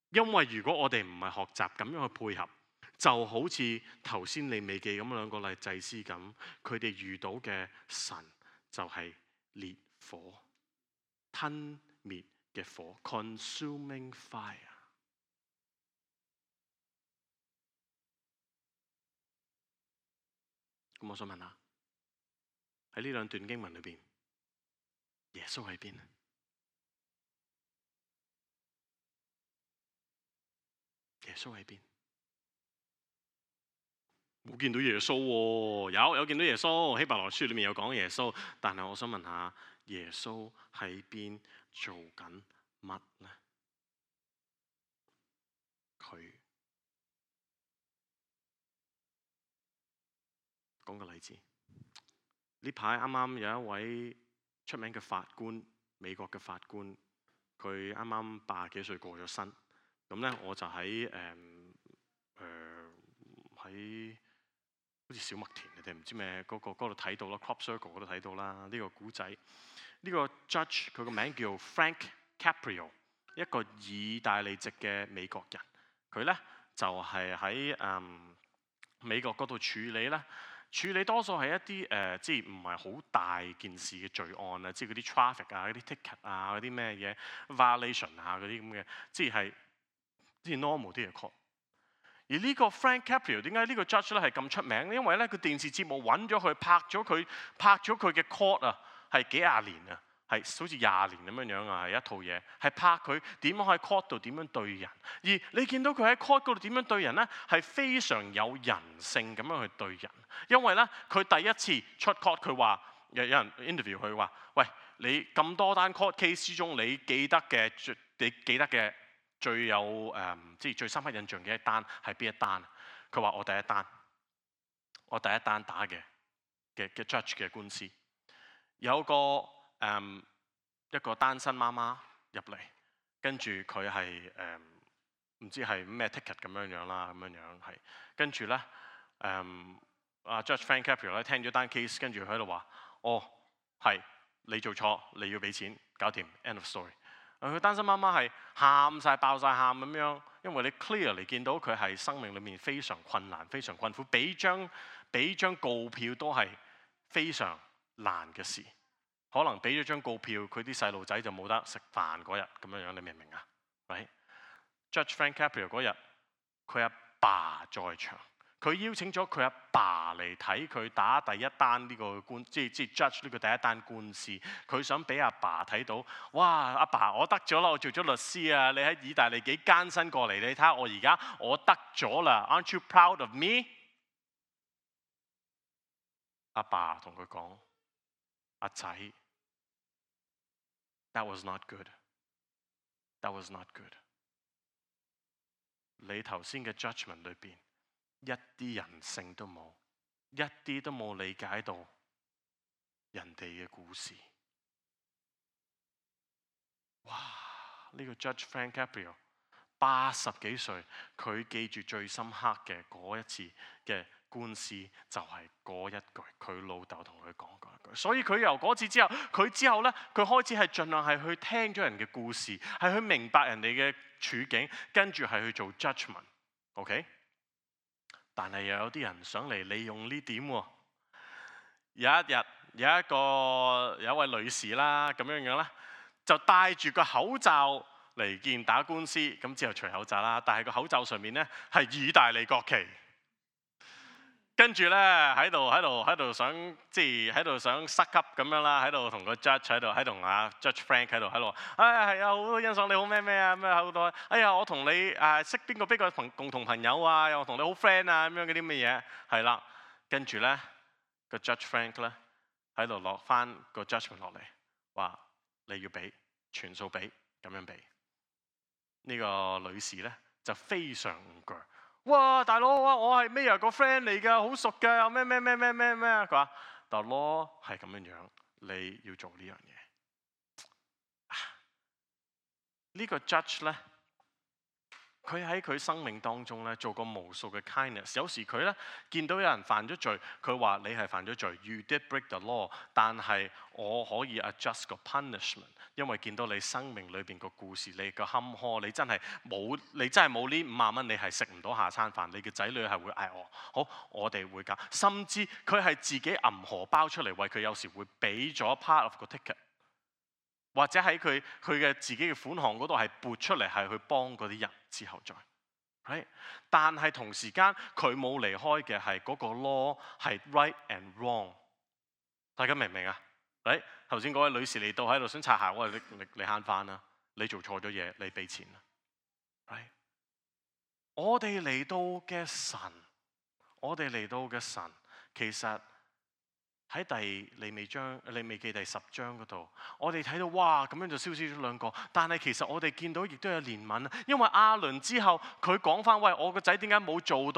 因為如果我哋唔係學習咁樣去配合，就好似頭先利未記咁兩個例祭司咁，佢哋遇到嘅神就係烈火，吞滅嘅火 ，consuming fire。咁我想問下，喺呢兩段經文裏邊，耶穌喺邊？耶穌喺邊？冇見到耶穌喎，有見到耶穌，希伯來書裏面有講耶穌，但係我想問下，耶穌喺邊做緊乜呢？講個例子，呢排啱啱有一位出名嘅法官，美國嘅法官，佢啱啱80幾歲過咗身。咁咧我就喺喺好似小麥田定唔知咩嗰度睇到啦 ，Crop Circle 嗰度睇到啦。呢個古仔，呢個 judge 佢個名叫 Frank Caprio， 一個意大利籍嘅美國人。佢咧就係喺美國嗰度處理多數係一啲即係唔係好大件事嘅罪案啊，即係嗰啲 traffic 啊、嗰啲 ticket 啊、嗰啲咩嘢 violation 啊嗰啲咁嘅，即係 normal 啲嘅 court。而呢個 Frank Caprio 點解呢個 judge 咧係咁出名咧？因為咧佢電視節目揾咗佢拍咗佢嘅 court 啊，係幾廿年啊，係好似20年咁樣樣啊，係一套嘢，係拍佢點樣喺 court 度點樣對人。而你見到佢喺 court 嗰度點樣對人咧，係非常有人性咁樣去對人。因為咧佢第一次出 court， 佢話有人 interview 佢話：喂，你咁多單 court case 之中，你記得嘅最有即係最深刻印象嘅一單係邊一單？佢話我第一單打嘅 judge 嘅官司，有一個單身媽媽入嚟，跟住佢係唔知係咩 ticket 咁樣啦，咁樣係跟住咧Judge Frank Caprio 咧聽咗單 case， 跟住佢喺度話：哦，係你做錯，你要俾錢，搞掂 ，end of story。佢單身媽媽係喊晒、爆晒喊咁樣，因為你 clearly 見到佢係生命裏面非常困難、非常困苦，俾張告票都係非常難嘅事。可能俾咗張告票，佢啲細路仔就冇得食飯嗰日咁樣樣，你明唔明啊？ Judge Frank Caprio 嗰日，佢阿爸在場。佢邀請咗佢阿爸嚟睇佢打第一單呢個即係 judge 呢個第一單官司。佢想俾阿爸睇到，哇！阿爸，我得咗啦，我做咗律師啊！你喺意大利幾艱辛過嚟，你睇下我而家我得咗啦 ，Aren't you proud of me？ 阿爸同佢講：阿仔 ，That was not good. That was not good. 你頭先嘅 judgment 裏邊，一啲人性都冇，一啲都冇理解到人哋嘅故事。哇！呢個 Judge Frank Caprio 80幾歲，佢記住最深刻嘅嗰一次嘅官司就係嗰一句，佢老豆同佢講嗰一句。所以佢由嗰次之後，佢開始係盡量係去聽咗人嘅故事，係去明白人哋嘅處境，跟住係去做 judgment。OK？但係又有啲人想嚟利用呢點喎。有一日有一位女士啦，咁樣樣啦，就戴住個口罩嚟見打官司，咁之後除口罩啦，但係個口罩上面咧係意大利國旗，跟住咧喺度想即係喺度想塞級咁樣啦，喺度同個 judge 喺度同阿 Judge Frank 喺度，係啊，好多欣賞你好咩啊咩好多，哎呀我同你識邊個共同朋友啊，又同你好 friend 啊咁樣嗰啲乜嘢，係啦，跟住咧個 Judge Frank 咧喺度落翻個 judgment 落嚟，話你要俾全數俾咁樣俾。呢個女士咧就非常唔鋸，哇大佬我係 Mayor 個 friend 嚟㗎，好熟㗎，又咩，佢話大佬係咁樣樣，你要做呢樣嘢。呢個 judge 咧，佢喺佢生命當中咧做過無數嘅 kindness。有時佢咧見到有人犯咗罪，佢話你係犯咗罪 ，you did break the law， 但係我可以 adjust 個 punishment， 因為見到你生命裏邊個故事，你個坎坷，你真係冇呢50蚊，你係食唔到下餐飯，你嘅仔女係會嗌我，好，我哋會搞，甚至佢係自己揞荷包出嚟為佢，有時會俾咗 part of 個 ticket。或者喺佢嘅自己嘅款項嗰度係撥出嚟，係去幫嗰啲人之後再，right？ 但係同時間佢冇離開嘅係嗰個 law 係 right and wrong。大家明唔明啊？誒，頭先嗰位女士嚟到喺度想擦鞋，我話你慳翻啦，你做錯咗嘢，你俾錢啦。right？ 我哋嚟到嘅神，其實喺利未記第10章嗰度，我哋睇到哇咁樣就燒死咗2個，但係其實我哋見到亦都有憐憫，因為亞倫之後佢講翻，喂，我個仔點解冇做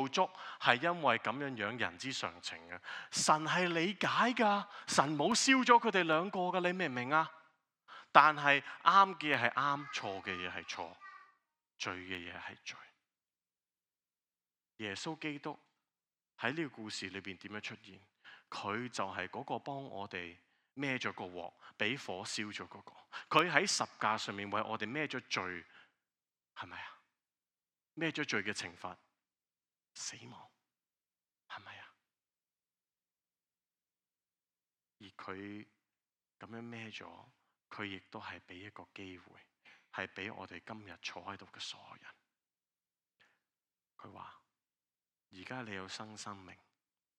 足，係因為咁樣人之常情嘅。神係理解㗎，神冇燒咗佢哋2個㗎，你明唔明啊？但係啱嘅嘢係啱，錯嘅嘢係錯，罪嘅嘢係罪。耶穌基督喺呢個故事裏邊點樣出現？佢就係嗰個幫我哋孭咗個鑊，俾火燒咗嗰個。佢喺十架上面為我哋孭咗罪，係咪啊？孭咗罪嘅懲罰，死亡，係咪啊？而佢咁樣孭咗，佢亦都係俾一個機會，係俾我哋今日坐喺度嘅所有人。佢話：而家你有新生命。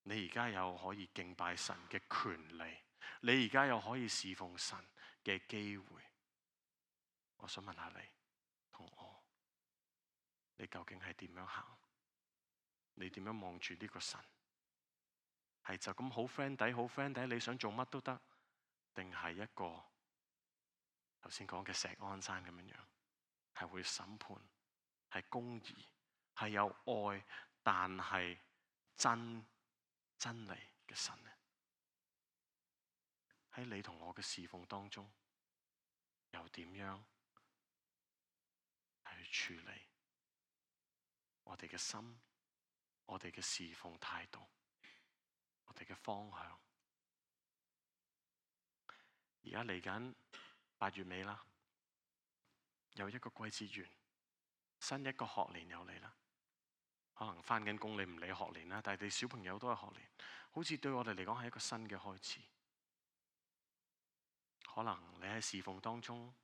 你而家有可以敬拜神嘅權利，你而家有可以侍奉神嘅機會。我想問下你同我，你究竟係點樣行？你點樣望住呢個神？係就咁好 friend 底，你想做乜都得，定係一個頭先講嘅石安山咁樣，係會審判，係公義，係有愛，但係真理嘅神呢？喺你同我嘅侍奉當中，又點樣去處理我哋嘅心、我哋嘅侍奉態度、我哋嘅方向？而家嚟緊8月尾啦，有一個季節完，新一個學年又嚟啦。可能返緊工你唔理學年啦，但係你小朋友都係學年，好似對我哋嚟講係一個新嘅開始。可能你喺侍奉當中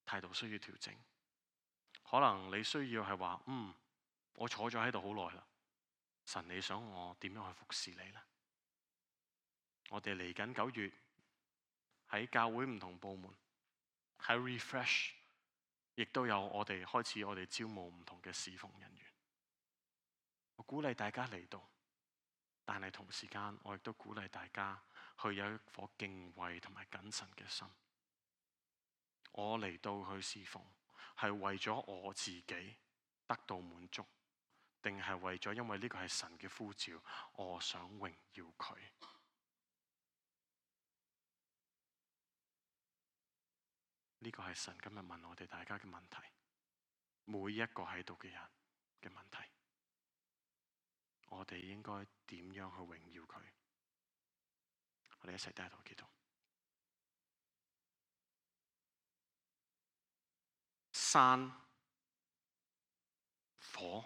態度需要調整，可能你需要係話，我坐咗喺度好耐啦，神你想我點樣去服侍你呢？我哋嚟緊9月喺教會唔同部門喺 refresh， 亦都有我哋開始我哋招募唔同嘅侍奉人員。我鼓勵大家嚟到，但係同時間我亦都鼓勵大家去有一顆敬畏同埋謹慎嘅心。我嚟到去侍奉，係為咗我自己得到滿足，定係為咗因為呢個係神嘅呼召，我想榮耀佢？呢個係神今日問我哋大家嘅問題，每一個喺度嘅人嘅問題。我哋應該點樣去榮耀佢？我哋一齊低頭祈禱。山、火、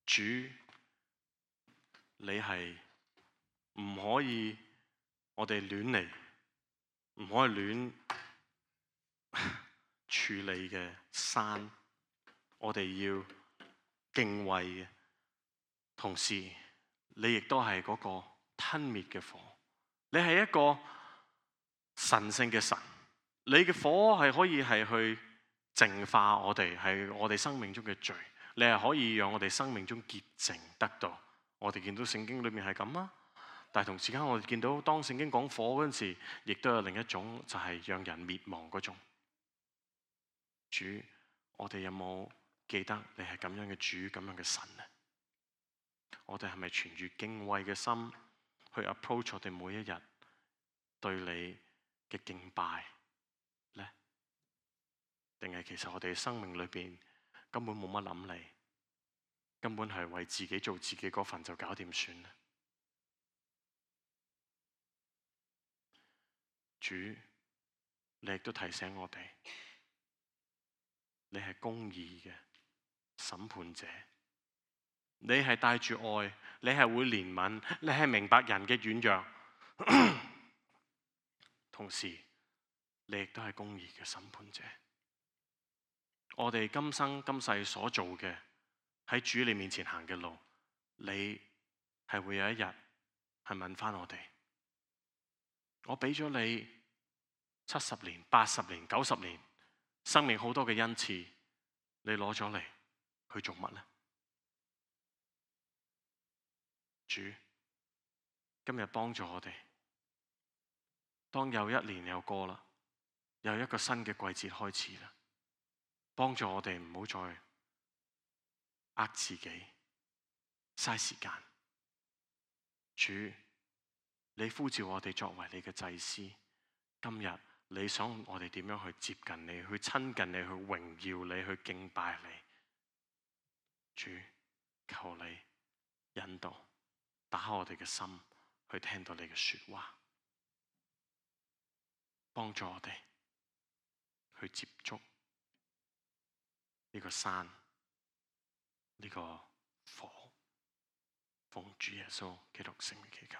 主，你係唔可以我哋亂嚟，唔可以亂處理嘅山，我哋要敬畏嘅。同時，你亦都係嗰個吞滅嘅火，你係一個神聖嘅神，你嘅火係可以係去淨化我哋，係我哋生命中嘅罪，你係可以讓我哋生命中潔淨得到。我哋見到聖經裏面係咁啊，但係同時間我哋見到當聖經講火嗰陣時，亦都有另一種就係讓人滅亡嗰種。主，我哋有冇記得你係咁樣嘅主，咁樣嘅神呢？我哋係咪存住敬畏嘅心去 approach 我哋每一日對你嘅敬拜呢？定係其實我哋生命裏邊根本冇乜諗你，根本係為自己做自己嗰份就搞掂算呢？主，你亦都提醒我哋，你係公義嘅審判者。你係帶住愛，你係會憐憫，你係明白人嘅軟弱，同時你亦都係公義嘅審判者。我哋今生今世所做嘅，喺主你面前行嘅路，你係會有一日係問翻我哋，我俾咗你70年、80年、90年，生命好多嘅恩賜，你攞咗嚟去做乜呢？主，今日幫助我哋，當又一年又過啦，又一個新嘅季節開始啦，幫助我哋唔好再呃自己，嘥時間。主，你呼召我哋作為你嘅祭司，今日你想我哋點樣去接近你，去親近你，去榮耀你，去敬拜你。主，求你引導，打開我哋嘅心，去聽到你嘅說話，幫助我哋去接觸呢個山，呢個火，奉主耶穌基督聖名祈求。